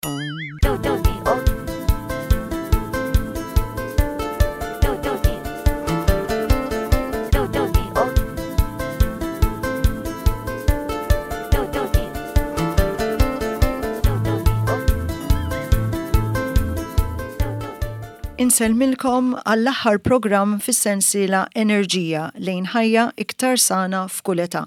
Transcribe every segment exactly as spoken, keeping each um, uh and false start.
Do do D O Do do D Do do D O Do do D Do do D O Do do D Insellmilkom għall-aħħar programm fis-sensiela Enerġija lejn ħajja iktar sana f'kull età.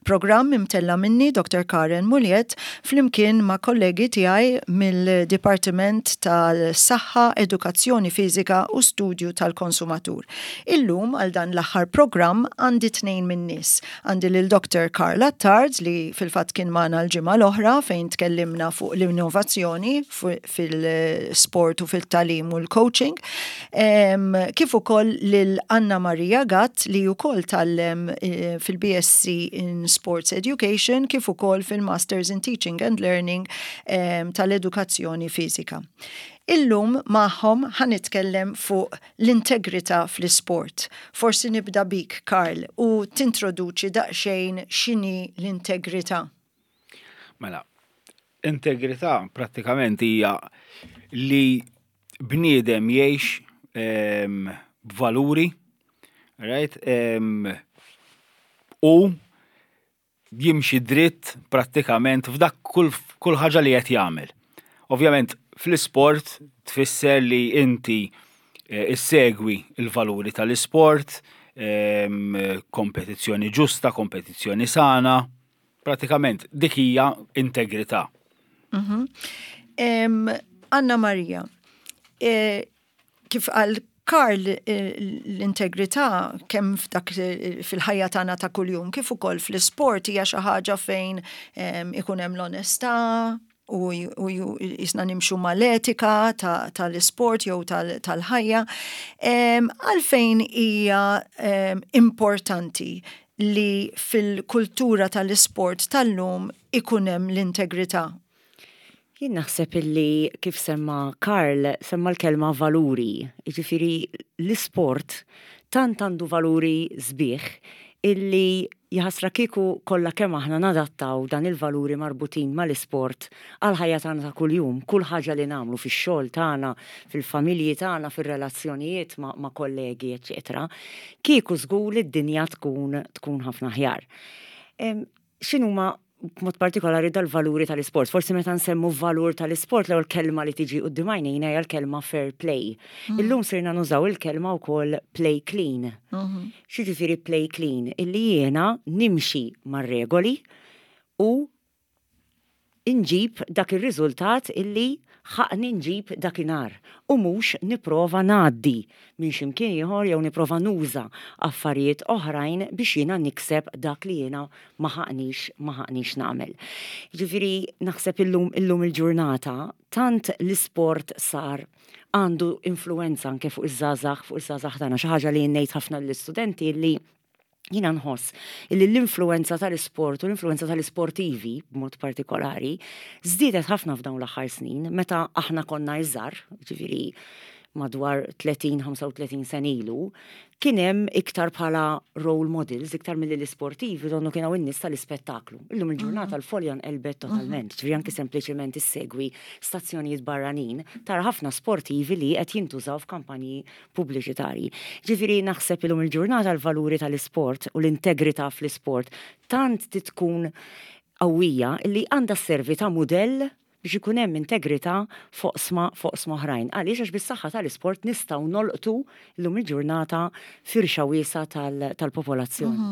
Programm imtella minni Dr. Karen Muliet flimkien ma' kollegi tiegħi mill-Dipartiment tal-Saħħa, Edukazzjoni Fiżika u Studju tal-Konsumatur. Illum għal dan l-aħħar programm għandi tnejn min-nies. Għandi lil Dr. Karl Attard li fil-fatt kien magħna l-ġimgħa l-oħra fejn tkellimna fuq l-innovazzjoni fil-sport u fil-tagħlim u l-coaching. Em, kif ukoll lil Anna Maria Gatt li wkoll tgħallem eh, fil-BSc in Sports Education kif ukoll fil-Masters in Teaching and Learning em, tal-Edukazzjoni Fiżika. Illum magħhom ħa nitkellem fuq l-integrità fl-isport. Forsi nibda bik, Karl, u tintroduċi daqsxejn x'inhi l-integrità. Mela, integrità prattikament hija li bniedem jgħix em, b'valuri, right? Em, u jimxi dritt prattikament f'dak kull, kull ħaġa li qed jagħmel. Ovvjament fl-isport tfisser li inti eh, issegwi il-valuri tal-isport, em, kompetizzjoni ġusta, kompetizzjoni sana, prattikament dik hija integrità. Em, Anna Maria, e, kif qal Karl eh, l-integrità kemm f'dak eh, fil-ħajja tagħna ta' kuljum kif ukoll fl-isport hija xi ħaġa fejn em, ikun hemm l-onestà u, u jisna nimxu mal-etika tal-isport jew tal-ħajja. Em, Għalfejn hija em, importanti li fil-kultura tal-isport tal-lum ikun hemm l-integrità. Jien naħseb illi kif semma Karl, semma l-kelma valuri. Jiġifieri l-isport tant għandu valuri sbieħ illi jaħasra kieku kollha kemm aħna nadattaw dan il-valuri marbutin mal-isport għal ħajja tagħna ta' kuljum, kull ħaġa li nagħmlu fix-xogħol tagħna, fil-familji tagħna, fir-relazzjonijiet ma', ma' kollegi, eċetera. Kieku żgur li d-dinja tkun tkun ħafna aħjar. Em, X'inhuma b'mod partikolari dal-valuri tal-isport. Forsi meta nsemmu valur tal-isport l-ewwel kelma li tiġi quddiem għajnejna hija l-kelma fair play. Illum sirna nużaw il-kelma wkoll play clean. X'jiġifieri play clean? Illi jiena nimxi mar-regoli u inġib dak ir-riżultat illi ħaqqni nġib dakinhar u mhux nipprova ngħaddi minn x'imkien ieħor jew nipprova nuża affarijiet oħrajn biex jiena nikseb dak li jiena ma ħaqqnix ma ħaqqnix nagħmel. Ġifieri naħseb illum illum il-ġurnata tant l-isport sar għandu influenza anke fuq iż-żgħażagħ fuq iż-żgħażagħ tagħna xi ħaġa li ngħid ħafna lill-istudenti li jiena nħoss illi l-influenza tal-isport u l-influenza tal-isportivi b'mod partikolari żdiedet ħafna f'dawn l-aħħar snin meta aħna konna iżgħar, ġifieri madwar tletin ħamsa u tletin sena ilu, kien hemm iktar bħala role models, iktar milli l-isportivi, donnu kienu n-nies tal-ispettaklu. Illum il-ġurnata l-folja nqelbet totalment, ġifieri anke sempliċement issegwi stazzjonijiet barranin, tara ħafna sportivi li qed jintużaw f'kampanji pubbliċitarji. Ġifieri naħseb illum il-ġurnata l-valuri tal-isport u l-integrità fl-isport tant tkun qawwija illi għandha sservi ta' mudell biex ikun hemm integrità f'oqsma f'oqsma oħrajn. Għaliex għax bis-saħħa tal-isport nistgħu nolqtu llum il-ġurnata firxa wiesgħa tal-popolazzjoni.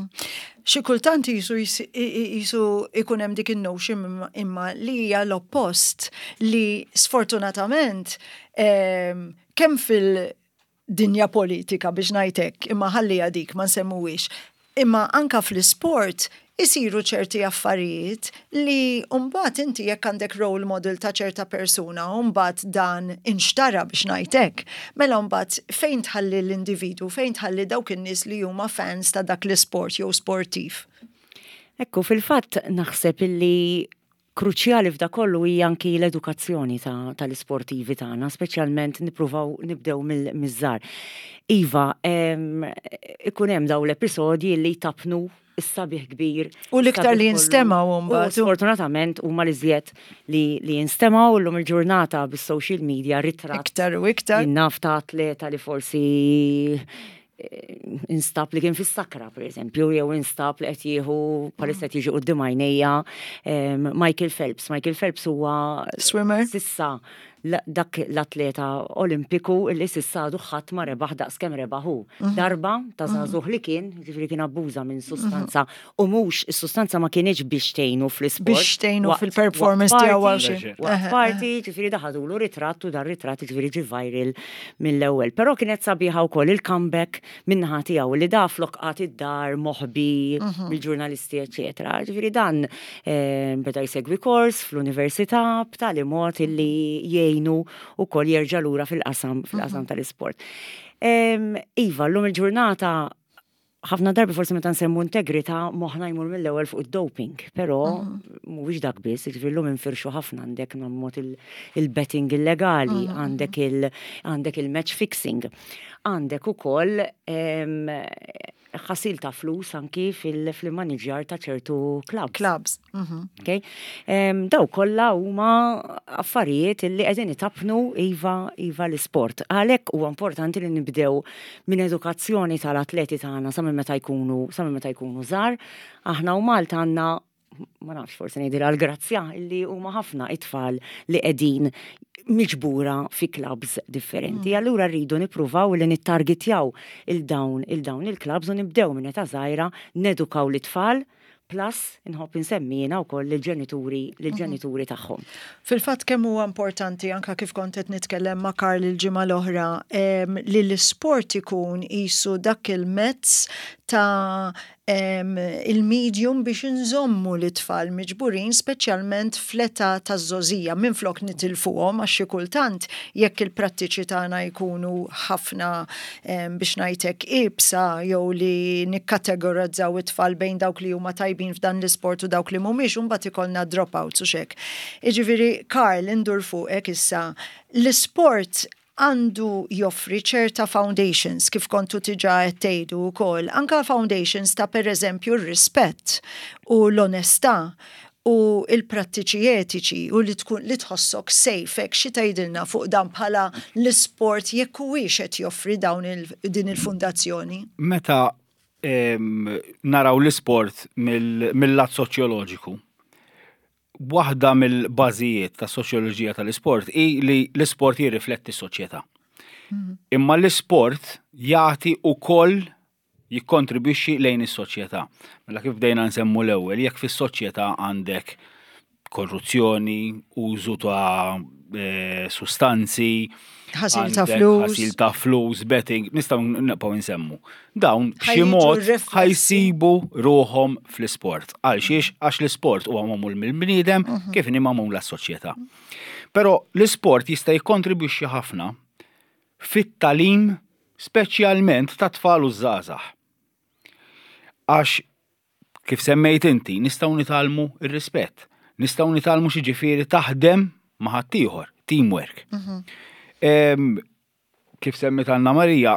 Xi kultant jisu jisu ikun hemm dik in-notion imma li hija l-oppost li sfortunatament kemm fil-dinja politika biex ngħidlek imma ħalli dik ma nsemmuwix imma anka fl-isport isiru ċerti affarijiet li mbagħad inti jekk għandek role model ta' ċerta persuna mbagħad dan inxtara biex ngħidlek, mela mbagħad fejn tħalli l-individu, fejn tħalli dawk in-nies li huma fans ta' dak l-isport jew sportiv. Ekku, fil-fatt naħseb illi Kruċjali f'da kollu hija anki l-edukazzjoni tal-isportivi tagħna, speċjalment nippruvaw nibdew miż-żgħar. Iva, ikun hemm daw l-episodji li tapnu is-sabiħ kbir. U l-iktar li jinstemaw mbagħad. Sfortunatament huma li żjed li li jinstemaw llum il-ġurnata bis-social media, ritratt. Iktar u iktar. Naf ta' atleta li forsi eh, instab li kien fis-sakra, per eżempju, jew instab li qed jieħu, bħalissa qed jiġi quddiem għajnejja Michael Phelps. Michael Phelps huwa swimmer. Sissa dak l-atleta olimpiku li s'issa għadu ħadd ma rebaħ daqs kemm rebaħ hu. Mhm. Darba ta' mhm. żagħżugħ li kien, ġifieri kien abbuża minn sustanza u mhux is-sustanza ma kienx biex tgħinu fl-isport. Biex tgħinu fil-performance tiegħu għal xi. Waqt party, ġifieri daħadulu ritratt u dar ritratt ġifieri ġi viral mill-ewwel. Però kienet sabiħa wkoll il-comeback min-naħa tiegħu li da flok qagħad id-dar moħbi mhm. mill-ġurnalisti, eċetera. Ġifieri dan eh, beda jsegwi kors fl-università b'tali mod illi jgħinu ukoll jerġa' lura fil-qasam fil-qasam mhm. tal-isport. Iva, llum il-ġurnata ħafna darbi forsi meta nsemmu integrità moħħna jmur mill-ewwel fuq id-doping, però mhm. mhuwiex dak biss, jiġifieri llum infirxu ħafna, għandek mod il-betting illegali, mhm. għandek il għandek il-match fixing, għandek ukoll ħasil ta' flus anki fil-manager ta' ċertu clubs. Clubs. Mhm. Okay? Daw kollha huma affarijiet li qegħdin itapnu iva iva l-isport. Għalhekk huwa importanti li nibdew minn edukazzjoni tal-atleti tagħna sa minn meta jkunu sa minn meta jkunu żgħar. Aħna u Malta għandna, ma nafx, forsi ngħidilha l-grazzja li huma ħafna it-tfal li qegħdin miġbura fi clubs differenti. Mm. Allura rridu nippruvaw li nittargetjaw il-dawn il-dawn il-clubs u nibdew minn età żgħira nedukaw l-itfal, plus inħobb insemmi jiena wkoll lill-ġenituri lill-ġenituri tagħhom. Fil-fatt kemm huwa importanti, anka kif kont qed nitkellem ma' Karl il-ġimgħa l-oħra, em, li l-isport ikun qisu dak il-mezz ta' em, il-medium biex nżommu l-itfal miġburin, speċjalment fl-età taż-żgħożija, minflok nitilfuhom, għax xi kultant jekk il-prattiċi tagħna jkunu ħafna em, biex ngħidlek iebsa jew li nikkategorizzaw it-tfal bejn dawk li huma tajbin f'dan l-isport u dawk li mhumiex, u mbagħad ikollna dropouts u xek. Jiġifieri, Karl, indur fuqek issa, l-isport għandu joffri ċerta foundations, kif kontu diġà qed tgħidu wkoll, anka foundations ta' per eżempju r-rispett u l-onestà u il-prattiċi etiċi u li tkun li tħossok safe hekk. Xi tgħidilna fuq dan bħala l-isport, jekk huwiex qed joffri dawn il, din il-fundazzjoni? Meta em, naraw l-isport mill- mill-lat soċjoloġiku, waħda mill-bażijiet ta' soċjoloġija tal-isport hi li l-isport jirrifletti s-soċjetà. Imma l-isport jagħti ukoll, jikkontribwixxi lejn is-soċjetà. Mela kif bdejna nsemmu l-ewwel, jekk fis-soċjetà għandek korruzzjoni, użu ta' eh, sustanzi, ħasil ta' għandek flus. Ħasil ta' flus, betting, nistgħu nibqgħu nsemmu. Dawn b'xi Ħa jiġu mod riflessi. ħa jsibu ruħhom fl-isport. Għal xiex? Għax l-isport huwa magħmul mill-bniedem kif inhi magħmul s-soċjetà. Però l-isport jista' jikkontribwixxi ħafna fit-tagħlim, speċjalment ta' tfal u żgħażagħ. Għax kif semmejt inti, nistgħu nitgħallmu ir-rispett, nistgħu nitgħallmu x'jiġifieri taħdem ma' ħaddieħor, teamwork. Em, Kif semmit Anna Marija,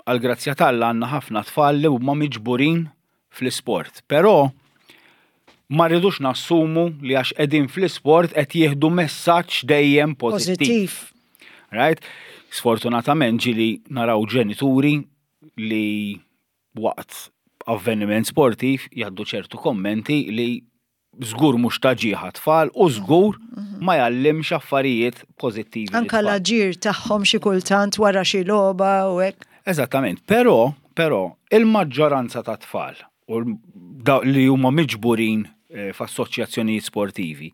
għal grazzja t'Alla għandna ħafna tfal li huma miġburin fl-isport. Però ma rridux nassumu li għax qegħdin fl-isport qed jieħdu messaġġ dejjem pożittiv. Pożittiv. Right? Sfortunatament ġieli naraw ġenituri li waqt avveniment sportiv jgħaddu ċertu kommenti li żgur mhux ta' ġieħ għat-tfal u żgur ma jgħallimx affarijiet pożittivi Anka lit-tfal. l-aġir tagħhom xi kultant wara xi logħba u hekk. Eżattament, però, però il-maġġoranza ta' tfal u l- da- li huma miġburin eh, f'assoċjazzjonijiet sportivi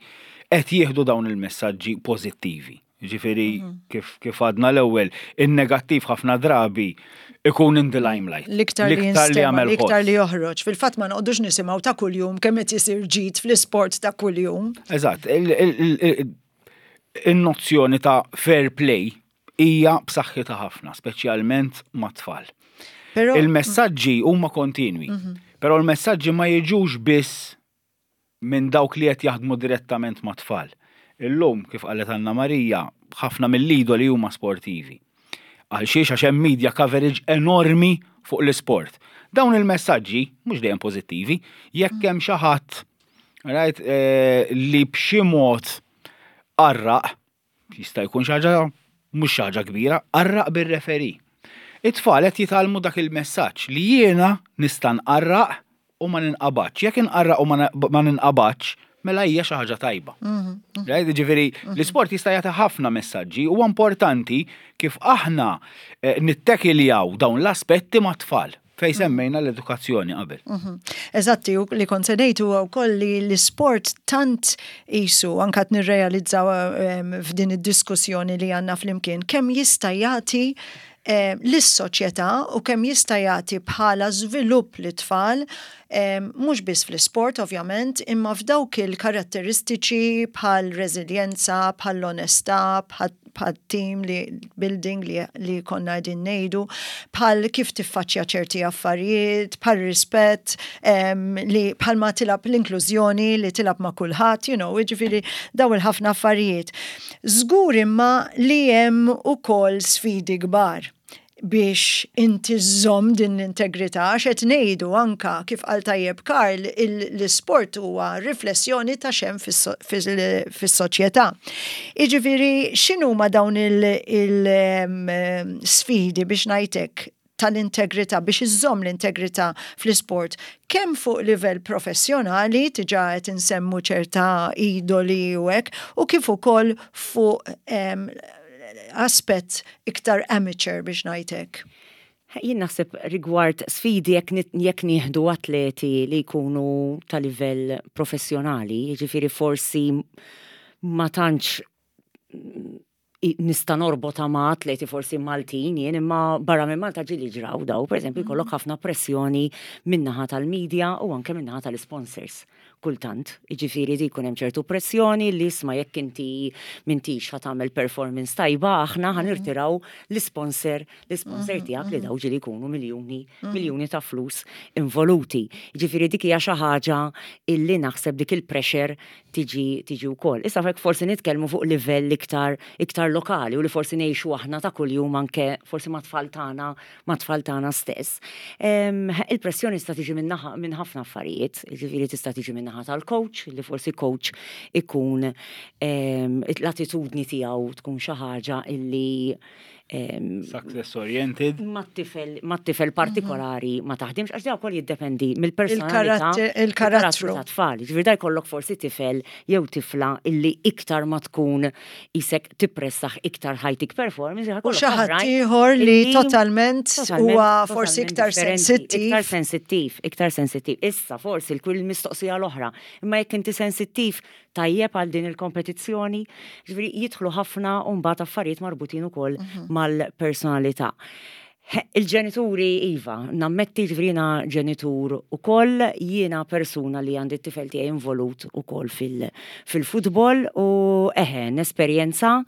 qed jieħdu dawn il-messaġġi pożittivi. Ġifieri kif kif għadna l-ewwel, in-negattiv ħafna drabi ikun in the limelight. L-iktar li jinstema, jagħmel l-iktar ħoss. li joħroġ. Fil-fatt ma noqogħdux nisimgħu ta' kuljum kemm qed isir ġid fl-isport ta' kuljum. Eżatt, il- il- il- il-nozzjoni ta' fair play hija b'saħħitha ħafna, speċjalment mat-tfal. Però Il-messaġġi huma kontinwi, però l-messaġġi ma jiġux biss minn dawk li qed jaħdmu direttament ma' tfal. Illum, kif qalet Anna Marija, ħafna mill-idoli huma sportivi. Għal xiex? Għax hemm media coverage enormi fuq l-isport. Dawn il-messaġġi mhux dejjem pożittivi, jekk hemm xi ħadd, right, eh, li b'xi mod qarraq, jista' jkun xi ħaġa mhux xi ħaġa kbira, qarraq bir-referee. It-tfal qed jitgħallmu dak il-messaġġ li jiena nista' nqarraq u ma ninqabadx. Jekk inqarraq u ma ma ninqabadx, mela hija xi ħaġa tajba. Right? Ġifieri, l-isport jista' jagħti ħafna messaġġi. Huwa importanti kif aħna eh, nittekiljaw dawn l-aspetti mat-tfal fejn semmejna l-edukazzjoni qabel. Mhm. Eżatti, u li kont se ngħid huwa wkoll li l-isport tant isu anka qed nirrealizzaw em, f'din id-diskussjoni li għandna flimkien kemm jista' jagħti eh, lis-soċjetà u kemm jista' jagħti bħala żvilupp lit-tfal em, mhux biss fl-isport ovvjament, imma f'dawk il-karatteristiċi bħal reżiljenza, bħal l-onestà, bħal bħal team li building li, li konna qegħdin ngħidu, bħal kif tiffaċċja ċerti affarijiet, bħal rispett, em, li bħal ma tilgħab l-inklużjoni li tilgħab ma' kulħadd, you know, jiġifieri daw il-ħafna affarijiet. Żgur imma li hemm ukoll sfidi kbar biex inti żżomm din l-integrità, għax qed ngħidu anka kif qal tajjeb Karl, l-isport huwa riflessjoni ta' x'hemm fis-soċjetà. Jiġifieri x'inhuma dawn il-sfidi biex ngħidlek tal-integrità, biex iżżomm l-integrità fl-isport, kemm fuq livell professjonali, diġà qed insemmu ċerta idoli u hekk, u kif ukoll fuq em, aspett iktar amateur biex ngħidlek. Jien naħseb rigward sfidi jekk nit- jekk nieħdu atleti li jkunu ta' livell professjonali, jiġifieri forsi ma tantx i- nista' norbota ma' atleti forsi Maltin jien, imma barra minn Malta ġieli ġraw daw, per eżempju, jkollok ħafna pressjoni min-naħa tal-medja u anke min-naħa tal-sponsors. Kultant, jiġifieri di jkun hemm ċertu pressjoni li isma' jekk inti m'intix ħa tagħmel performance tajba, aħna ħa nirtiraw l-sponsor, l-sponsor tiegħek, li daw ġieli jkunu miljuni, miljuni ta' flus involuti. Jiġifieri dik hija xi ħaġa illi naħseb dik il-pressure tiġi tiġi wkoll. Issa fek forsi nitkellmu fuq livell iktar iktar lokali u li forsi ngħixu aħna ta' kuljum anke forsi ma' tfal tagħna, ma' tfal tagħna stess. Em, Il-pressjoni tista' tiġi minn naħa- minn ħafna affarijiet, jiġifieri tista' tiġi minn naħa tal-coach, li forsi coach ikun em, l-attitudni tiegħu tkun xi ħaġa illi em, Success oriented. ma tifel ma tifel partikolari ma taħdimx, għax da wkoll jiddependi mill-personalità, Il-karatter- il-karattru. ta' tfal. Ġifieri da jkollok forsi tifel jew tifla illi iktar ma tkun isek tippressah iktar ħa jtik performance. U xi ħadd ieħor li totalment huwa forsi iktar sensittiv. Iktar sensittiv, iktar sensittiv. Issa forsi l-kull mistoqsija l-oħra. Imma jekk inti sensittiv tajjeb għal din il-kompetizzjoni, ġifieri jidħlu ħafna u mbagħad affarijiet marbutin ukoll mal-personalità. He, il-ġenituri, iva, nammetti, ġifieri jiena ġenitur ukoll, jiena persuna li għandi t-tifel tiegħi involut ukoll fil-futbol u eħe, nesperjenza.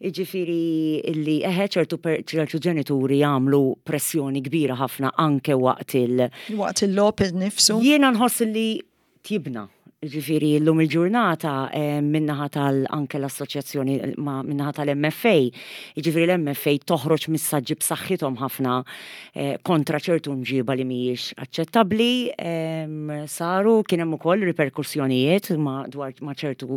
Ġifieri illi eħe ċertu, per- ċertu ġenituri jagħmlu pressjoni kbira ħafna anke waqt il- Waqt il-logħob nifsu. Jiena nħoss li tjibna. Ġifieri l-lum il-ġurnata eh, min-naħa tal anke l-assoċjazzjoni ma min-naħa tal-M F A. Ġifieri l-M F A toħroġ messaġġi b'saħħithom ħafna eh, kontra ċertu mġiba li mhijiex aċċettabbli. em, Saru kien hemm ukoll riperkussjonijiet ma dwar ma ċertu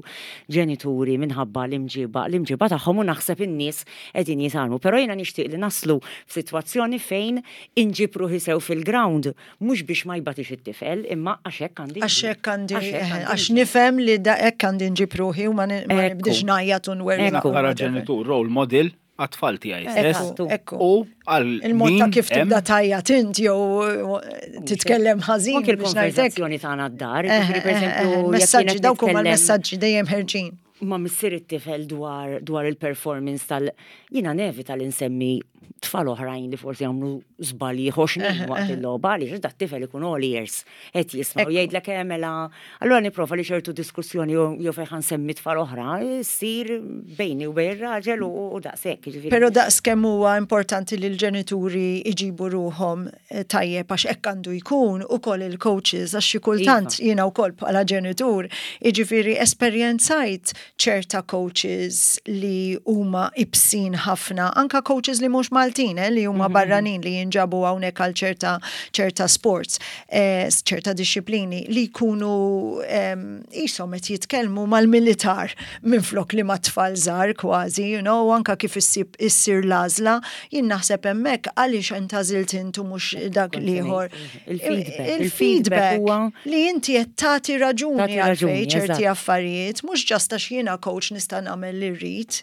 ġenituri minħabba l-imġiba l-imġiba tagħhom u naħseb in-nies qegħdin jitgħallmu. Però jiena nixtieq li naslu f'sitwazzjoni fejn inġib ruħi sew fil-ground, mhux biex ma jbatix it-tifel, imma għax hekk għandi Għax hekk għandi, għax hekk għandi għax nifhem li da hekk għandi nġib ruħi u ma ni- ma Ekku. nibdix ngħajjat u nwerri. Ekku. Bħala ġenitur, role model għat-tfal tiegħi stess. Ekku, ekku. U għal Il-mod ta' min kif hemm tibda tgħajjat int jew titkellem ħażin Anke biex ngħidlek. il-konverzazzjoni tagħna d-dar, Eh, ġifieri, per eh, eh, eżempju, jekk messaġġi jiena dawk huma nitkellem l-messaġġi dejjem ħerġin. ma' missier it-tifel dwar dwar il-performance tal jiena nevita li nsemmi Tfal oħrajn li forsi għamlu żbalji ħoxnin waqt il-logħba, għaliex dat tifel ikun all ears qed jisma' u jgħidlek, "Eh, mela." Allura nipprova li ċertu diskussjoni jew fejn ħa nsemmi tfal oħra ssir bejni u bejn ir-raġel u u daqshekk, jiġifieri. Pero daqs kemm huwa importanti li l-ġenituri iġibu ruħhom eh, tajjeb, għax hekk għandu jkun, ukoll il-coaches, għax xi kultant Iva. jiena wkoll bħala ġenitur, jiġifieri, esperjenzajt ċerta coaches li huma ibsin ħafna, anka coaches li mhux Maltin, eh, li huma barranin li jinġabu hawnhekk għal ċerta ċerta sports, eh, ċerta disċiplini li jkunu em, qishom qed jitkellmu mal-militar minflok li ma' tfal żgħar kważi, you know, anka kif issib issir l-għażla, jien naħseb hemmhekk għaliex intgħażilt intu mhux dak l-ieħor. Il-feedback. Il-feedback Il-feedback huwa li inti qed tagħti raġuni Tagħti għalfejn raġuni, ċerti eżatt. affarijiet, mhux just għax jiena coach nista' nagħmel li rrid.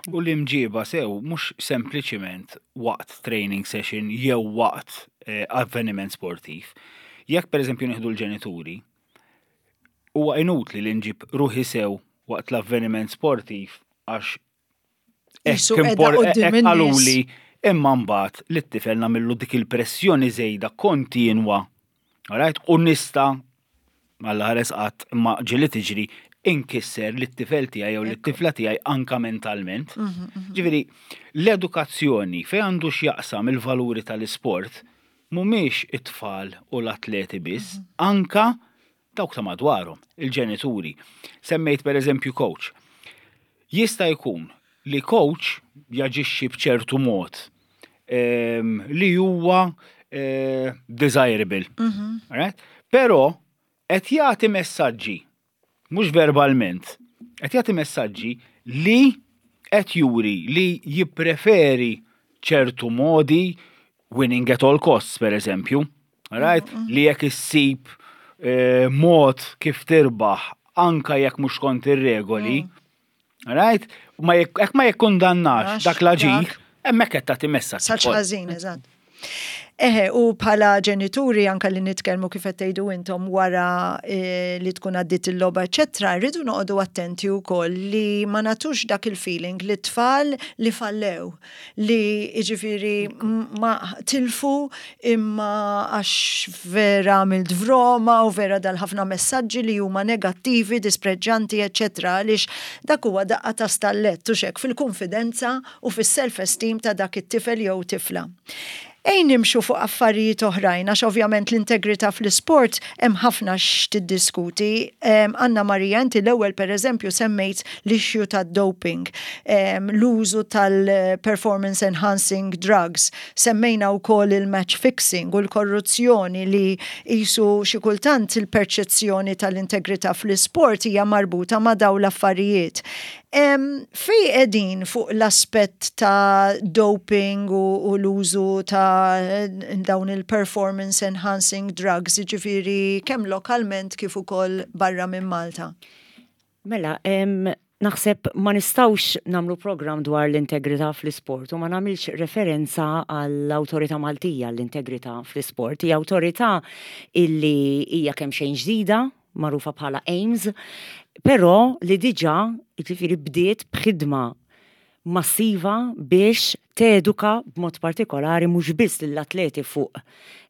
U l-imġiba sew, mhux sempliċiment waqt training session jew waqt eh, avveniment sportiv. Jekk per eżempju nieħdu l-ġenituri, huwa inutli li nġib ruħi sew waqt l-avveniment sportiv għax Qisu hekk qiegħda impor- quddiem hekk in-nies. qaluli, imma mbagħad li t-tifel nagħmillu dik il-pressjoni żejda kontinwa. Alright? U nista', Alla ħares qatt, imma ġieli tiġri, inkisser li t-tifel tiegħi jew li t-tifla tiegħi anka mentalment. Ġifieri, l-edukazzjoni fejn għandu x'jaqsam il-valuri tal-isport mhumiex it-tfal u l-atleti biss, anka dawk ta' madwarhom, il-ġenituri. Semmejt per eżempju coach. Jista' jkun li coach jaġixxi b'ċertu mod em, li huwa eh, desirable. Alright? Però qed jagħti messaġġi, mhux verbalment, qed jagħti messaġġi li qed juri li jippreferi ċertu modi, winning at all costs, per eżempju. Alright? Li jekk issib eh, mod kif tirbaħ anka jekk mhux kont ir-regoli, alright? Ma jekk jekk ma jikkundannax Għax, dak l-aġir, dak. hemmhekk qed tagħti messaġġ Saċ ukoll. ħażin, eżatt. Eħe, u bħala ġenituri anka li nitkellmu kif qed tgħidu intom wara eh, li tkun għaddit il-logħba, eċetera, rridu noqogħdu attenti wkoll li ma nagħtux dak il-feeling li tfal li fallew, li jiġifieri m- ma tilfu imma għax vera għamilt vroma u vera dal-ħafna messaġġi li huma negattivi, dispreġġanti, eċetera, għaliex dak huwa daqqa ta' stallett u xek fil-konfidenza u fis-self-esteem ta' dak it-tifel jew tifla. Ejja nimxu fuq affarijiet oħrajn, għax ovvjament l-integrità fl-isport hemm ħafna x'tiddiskuti. Em, Anna Marija, inti l-ewwel per eżempju semmejt l-issue tad-doping, em, l-użu tal-performance enhancing drugs, semmejna wkoll il-match fixing u l-korruzzjoni li qisu xi kultant il-perċezzjoni tal-integrità fl-isport hija marbuta ma' dawn l-affarijiet. Em, Fej qegħdin fuq l-aspett ta' doping u, u l-użu ta' dawn il-performance enhancing drugs, ġifieri kemm lokalment kif ukoll barra minn Malta? Mela, em, naħseb ma nistgħux nagħmlu program dwar l-integrità fl-isport u ma nagħmilx referenza għall-Awtorità Maltija l-Integrità fl-Isport. Hija awtorità illi hija kemm xejn ġdida, magħrufa bħala AIMS, però li diġà, jiġifieri, bdiet b'ħidma massiva biex teduka b'mod partikolari mhux biss lill-atleti fuq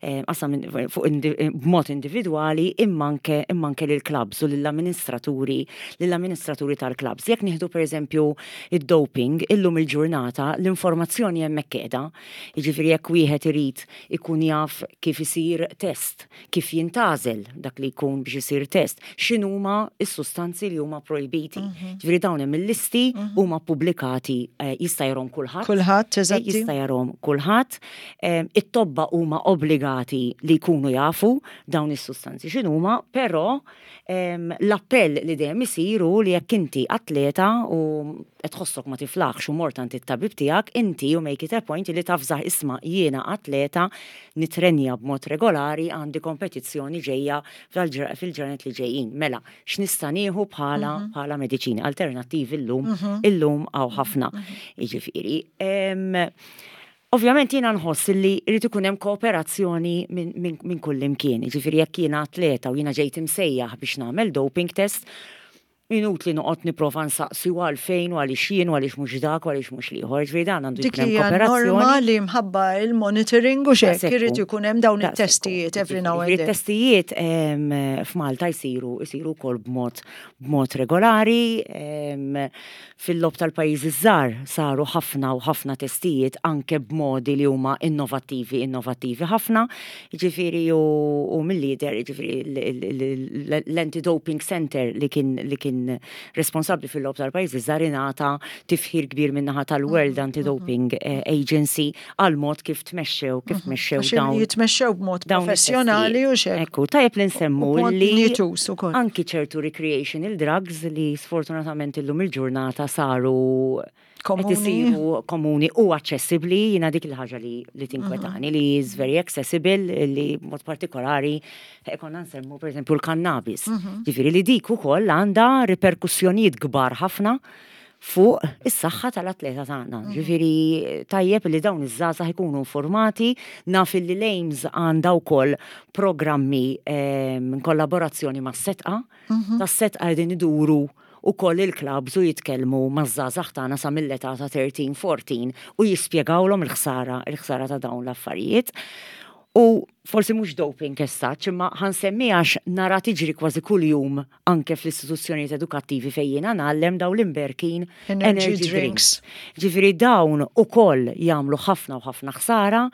eh, qasam fuq indi, b'mod individwali imma anke imma anke lill-clubs u lill-amministraturi lill-amministraturi tal-clubs. Jekk nieħdu pereżempju id-doping, illum il-ġurnata l-informazzjoni hemmhekk qiegħda. Jiġifieri jekk wieħed irid ikun jaf kif isir test, kif jintgħażel dak li jkun biex isir test, x'inhuma s-sustanzi li huma projbiti. Ġifieri dawn hemm il-listi, huma pubblikati, eh, jista' jarahom kulħadd. Kulħadd, Eh, eżatti. Jista' jarahom kulħadd. Em, It-tobba huma obbligati li jkunu jafu dawn is-sustanzi x'inhuma, però em, l-appell li dejjem isir hu li jekk inti atleta u qed tħossok ma tiflaħx u mort għand it-tabib tiegħek, inti you make it a point li tavżah, "Isma', jiena atleta, nitrenja b'mod regolari, għandi kompetizzjoni ġejja fil-ġra- fil-ġranet li ġejjin. Mela, x'nista' nieħu bħala bħala mediċini alternattivi?" Illum illum hawn ħafna. Jiġifieri, em, Ovvjament jiena nħoss li jrid ikun hemm kooperazzjoni minn min, min kull imkien. Jiġifieri jekk jiena atleta u jiena ġejt imsejjaħ biex nagħmel doping test, Inutli noqgħod nipprova nsaqsi u għalfejn u għaliex jien u għaliex mhux dak u għaliex mhux l-ieħor. Ġifieri dan għandu Dik jkun hemm hija norma kooperazzjoni. li mħabba il-monitoring u xek, Daqshekk irid hu. ikun hemm dawn Daqshekk hu. it-testijiet every now and Ġifieri then. It-testijiet em, f'Malta jsiru jsiru wkoll b'mod b'mod regolari. em, Fil-logħob tal-pajjiżi żgħar saru ħafna u ħafna testijiet anke b'modi li huma innovattivi, innovattivi ħafna. Ġifieri u, u mill-lider, ġifieri l-anti-doping center li kien li kien responsabbli fil-logħob tal-pajjiżi żgħar ingħata tifħir kbir min-naħa tal-World Anti-Doping eh, Agency għal mod kif tmexxew, kif tmexxew Għax dawn jitmexxew b'mod dawn professjonali u it-testijiet. xek. Ekku, tajjeb li nsemmu U b'mod li dinjituż ukoll. anki ċertu recreational drugs li sfortunatament illum il-ġurnata saru qed Komuni. isiru komuni u aċċessibbli, jiena dik il-ħaġa li, li tinkwetani, li is very accessible, li mod partikolari eh, konna nsemmu per eżempju l-cannabis. Ġifieri li dik ukoll għandha riperkussjonijiet kbar ħafna fuq is-saħħa tal-atleta tagħna. Ġifieri tajjeb li dawn iż-żgħażagħ ikunu informati, naf li l-AIMS għandha wkoll programmi ehm, in kollaborazzjoni mas-Sedqa, tas-Sedqa qegħdin iduru ukoll il-clubs u jitkellmu maż-żgħażagħ tagħna sa mill-età ta' tlettax, erbatax u jispjegawlhom il-ħsara, il-ħsara ta' dawn l-affarijiet. U forsi mhux doping as such, imma ħa nsemmi għax nara tiġri kważi kuljum anke fl-istituzzjonijiet edukattivi fejn jiena ngħallem dawn l-imberkin Energy energy drinks. drinks. Ġifieri dawn ukoll jagħmlu ħafna u ħafna ħsara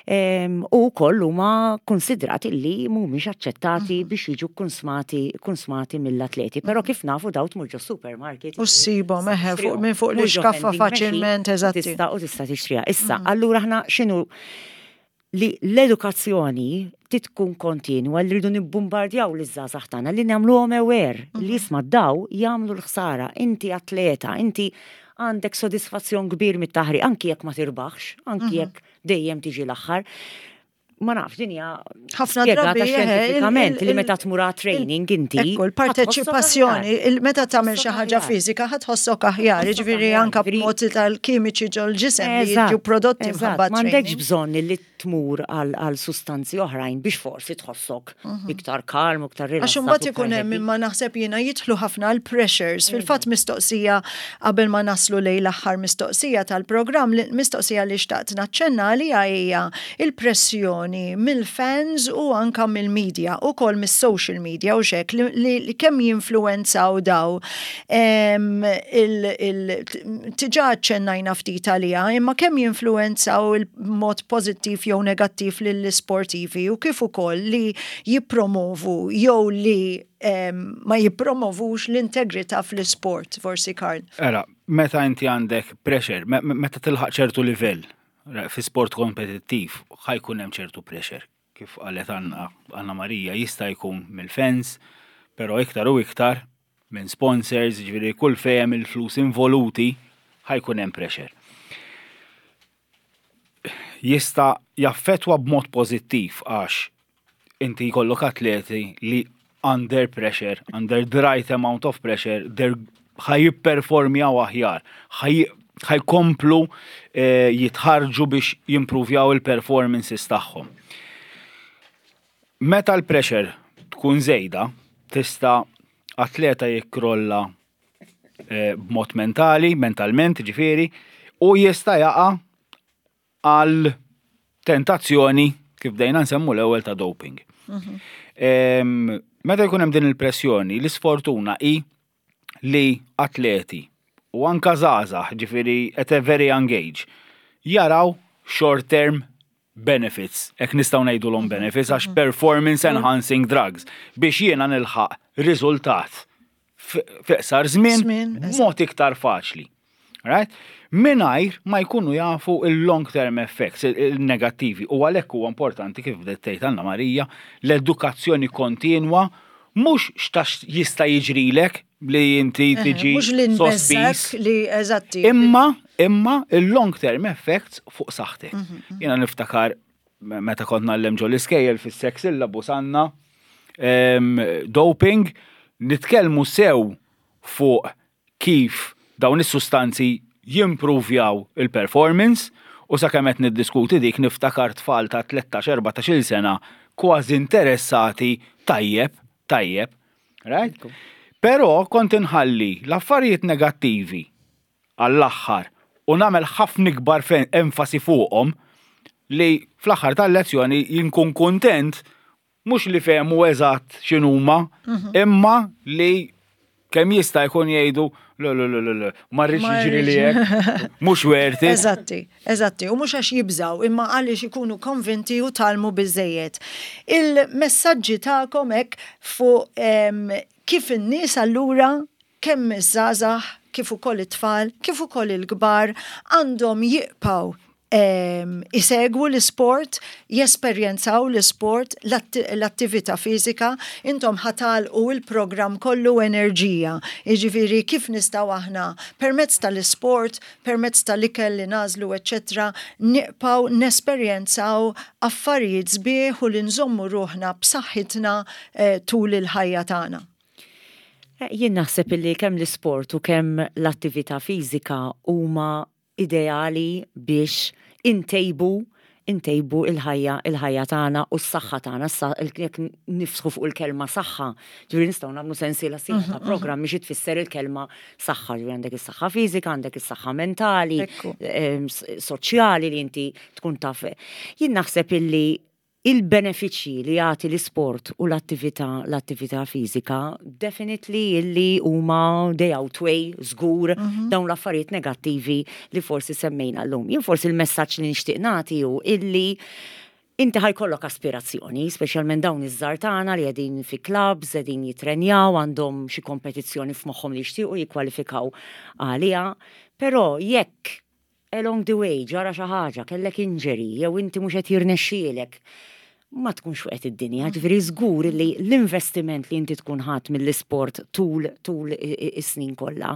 em, u wkoll huma konsidrati li mhumiex aċċettati biex jiġu konsmati konsmati mill-atleti. Però kif nafu daw tmur ġo supermarket. U ssibhom, eħe, fuq- minn fuq Mur ġo l-iskaffa vending machine, faċilment, u eżatti. Tista' u tista' tixtriha. Issa, allura aħna x'inhu li l-edukazzjoni tkun kontinwa li rridu nibbombardjaw l-żgħażagħ tagħna li nagħmluhom aware li isma' daw jagħmlu l-ħsara, inti atleta, inti għandek sodisfazzjon kbir mit-taħriġ, anki jekk ma tirbaħx, anki jekk dejjem tiġi l-aħħar. Ma nafx, din hija Ħafna spjegata drabi, eħe, il- xjentifikament il- li meta tmur għal training inti. Ekku, l-parteċipazzjoni, il- meta tagħmel xi ħaġa fiżika ħa tħossok aħjar, Tħossok jiġifieri aħjar, anke ġifieri- b'mod tal-kimiċi ġol-ġisem li jiġu prodotti mħabba M'għandekx training. bżonn li tmur għal għal sustanzi oħrajn biex forsi tħossok iktar kalm u iktar Għax rilassat. imbagħad u iktar ikun hemm happy. imma naħseb jiena jidħlu ħafna l-pressures. Fil-fatt mistoqsija qabel ma naslu lejn l-aħħar mistoqsija tal-programm, li- mistoqsija li xtaqt naċċenna li hija il-pressjoni mill-fans u anka mill-media u kol mis-social media u xek li, li, li kemm jinfluenzaw daw em, il, il, diġà ċennajna ftit għalija, imma kemm jinfluenzaw il-mod pozittiv jew negattiv lill-sportivi u kif ukoll li jippromovu jew li em, ma jippromovux l-integrità fl-sport, forsi Karl. Era, meta inti għandek pressure, me- me- meta tilħaq ċertu livell ra- fi sport kompetittiv, ħa jkun hemm ċertu pressure. Kif qalet Anna, Anna Marija, jista' jkun mill-fans, però iktar u iktar minn sponsors, ġifieri kull fejn il-flus involuti, ħa jkun hemm pressure. Jista' jaffetwa b'mod pożittiv għax inti jkollok atleti li under pressure, under the right amount of pressure, they're ħa jipperformjaw aħjar, ħa jkomplu eh, jitħarġu biex jimpruvjaw il-performances tagħhom. Meta l-pressure tkun żejda, tista' atleta jikkrolla eh, b'mod mentali, mentalment ġifieri, u jista' jaqa' għal tentazzjoni kif bdejna nsemmu l-ewwel ta' doping. Em, Meta jkun hemm din il-pressjoni, l-isfortuna hi li atleti u anka żgħażagħ, ġifieri at a very young age, jaraw short term benefits, hekk nistgħu ngħidulhom benefits għax performance enhancing drugs biex jiena nilħaq riżultat f'iqsar żmien Żmien, b'mod iktar faċli. Right? Mingħajr ma jkunu jafu il-long term effects, il- il-negattivi. U għalhekk huwa importanti kif bdiet tgħid Anna Marija, l-edukazzjoni kontinwa mhux x'tax jista' jiġrilek li inti tiġi Mhux li sospiż. nbeżżak li eżatti. Imma, imma il-long term effects fuq saħħtek. Jiena niftakar me- meta kont ngħallem ġol iskejjel fis-sex syllabus għandna em, doping, nitkellmu sew fuq kif dawn is-sustanzi jimpruvjaw il-performance u sakemm qed niddiskuti dik niftakar tfal ta' tlettax erbatax-il sena kważi interessati tajjeb, tajjeb, right? Però kont inħalli l-affarijiet negattivi għall-aħħar u nagħmel ħafna ikbar fe- enfasi fuqhom li fl-aħħar tal-lezzjoni jinkun kontent mhux li fehmu eżatt x'inhuma, imma li kemm jista' jkun jgħidu le le le le le, ma rridx Ma jiġri li rridx. hekk, mhux worth it. Eżatti, eżatti. U mhux għax jibżaw, imma għaliex ikunu konvinti u tgħallmu biżżejjed. Il-messaġġi tagħkom hekk fuq em, kif in-nies allura kemm iż-żgħażagħ, kif ukoll it-tfal, kif ukoll il-kbar għandhom jibqgħu em, isegwu l-sport, jesperjenzaw l-sport, l-attività fiżika, intom ħa tagħlqu il-programm kollu enerġija. Jiġifieri kif nistgħu aħna permezz tal-sport, permezz tal-ikel li nagħżlu, eccetera, nibqgħu nesperjenzaw affarijiet sbieħ u li nżommu ruħna b'saħħitna eh, tul il-ħajja tagħna. Eh, Jien naħseb illi kemm l-isport u kemm l-attività fiżika huma ideali biex intejbu intejbu il-ħajja il-ħajja tagħna u s-saħħa tagħna. Issa jekk niftħu fuq il-kelma saħħa, ġifieri nistgħu nagħmlu sensiela sħiħa ta' programm biex tfisser il-kelma saħħa, ġifieri għandek is-saħħa fiżika, għandek is-saħħa mentali, Ekku. em, s- soċjali li inti tkun taf. Jien naħseb illi il-benefiċċji li jagħti l-isport u l-attività l-attività fiżika definitely illi huma they outweigh żgur dawn l-affarijiet negattivi li forsi semmejna llum. Jien forsi il-messaġġ li nixtieq nagħti hu illi inti ħa jkollok aspirazzjoni, speċjalment dawn iż-żgħar tagħna li qegħdin fi clubs, qegħdin jitrenjaw, għandhom xi kompetizzjoni f'moħħhom li jixtiequ jikkwalifikaw għaliha, però jekk along the way ġara xi ħaġa, kellek injury, jew inti mhux qed jirnexxielek, ma tkunx waqgħet id-dinja, ġifieri żgur li l-investiment li inti tkun ħadd mill-isport tul tul i- i- is-snin kollha,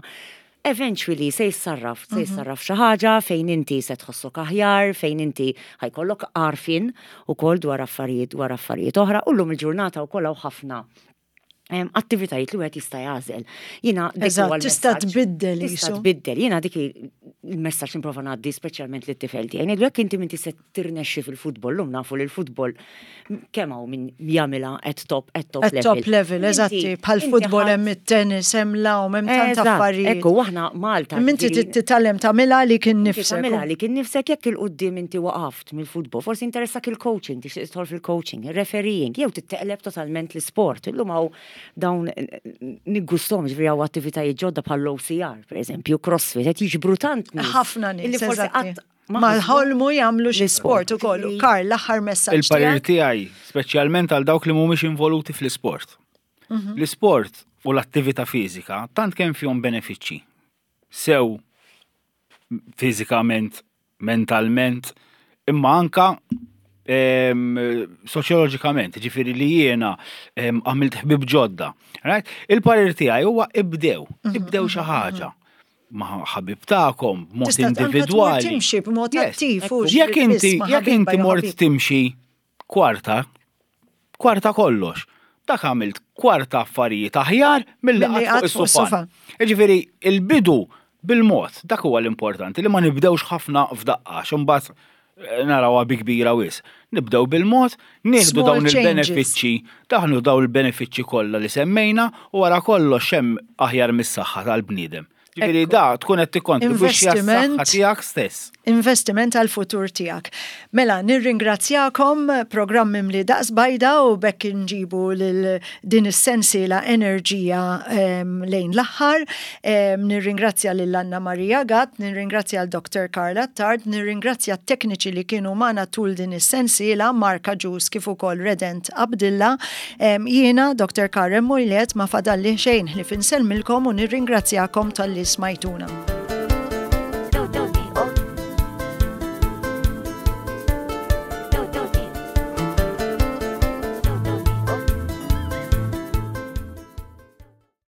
eventually se jissarraf, se jissarraf xi ħaġa fejn inti se tħossok aħjar, fejn inti ħa jkollok għarfien ukoll dwar affarijiet dwar affarijiet oħra, u llum il-ġurnata wkoll hawn ħafna em, attivitajiet li wieħed jista' jagħżel. Jiena dik Eżatt, huwa tista' l-messaġġ. tbiddel Tista' qisu. tbiddel. Jiena dik il-messaġġ nipprova ngħaddi speċjalment lit-tifel tiegħi. Ngħidlu jekk inti m'intix se tirnexxi fil-futbol, llum nafu li l-futbol kemm hawn min jagħmilha at top at top At level. top level, Inti- eżatti, bħal inti futbol ħadd- hemm it-tennis, hemm l-għawm, hemm tant Eżatt, affarijiet. Ekku, aħna Malta. Inti ġifieri- titgħallem tagħmilha li kien Inti nifsek. tagħmilha li kien nifsek jekk 'il quddiem inti waqaft mill-futbol, forsi interessak il-coaching, tixtieq tidħol fil-coaching, il-refereeing, jew titteqleb totalment l-sport. Illum hawn dawn niggustom ġifieri hawn attivitajiet ġodda bħal O C R, per eżempju, CrossFit, qed jiġbru tant nies. Ħafna nies, Illi forsi eżatti. qatt ma Ma ħasbu ħolmu jagħmlu xi l-isport. sport ukoll. Ġifieri- Karl, l-aħħar messaġġ Il-parir tiegħek? tiegħi, speċjalment għal dawk li mhumiex involuti fl-isport. L-isport u l-attività fiżika tant kemm fihom benefiċċji. Sew fiżikament, mentalment, imma anka em, soċjoloġikament, ġifieri li jiena em, għamilt ħbib ġodda. Right? Il-parir tiegħi huwa ibdew, ibdew xi ħaġa ma' ħabib tagħkom, b'mod Tista' anka tmur individwali. timxi b'mod Yes. attiv, hux Jekk inti, biss ma' jekk ħabiba inti jew mort ħabib. timxi kwarta, kwarta kollox. Dak għamilt kwarta affarijiet aħjar milli Milli qatt qatt fuq fuq is-sufan. Ġifieri, il-bidu bil-mod, dak huwa l-importanti li ma nibdewx ħafna f'daqqa, imbagħad eh, narawha bi kbira wisq. Nibdew bil-mod, nieħdu Small dawn changes. il-benefiċċji, daħnu dawn il-benefiċċji kollha li semmejna u wara kollox hemm aħjar mis-saħħa tal-bniedem. Ġifieri Ekku. da tkun qed tikkontribwixxi għas-saħħa Investiment. tiegħek stess. Investiment għal futur tiegħek. Mela, nirringrazzjakom, programm mimli daqs bajda u b'hekk nġibu lil din is-sensiela enerġija em, lejn l-aħħar. Em, Nirringrazzja lil Anna Maria Gatt, nirringrazzja l Doctor Karl Attard, nirringrazzja t-tekniċi li kienu magħna tul din is-sensiela, Marka Ġus kif ukoll Redent Abdilla. Em, Jiena, Doctor Karen Mojlet, ma fadalli xejn ħlief insellmilkom u nirringrazzjakom talli smajtuna.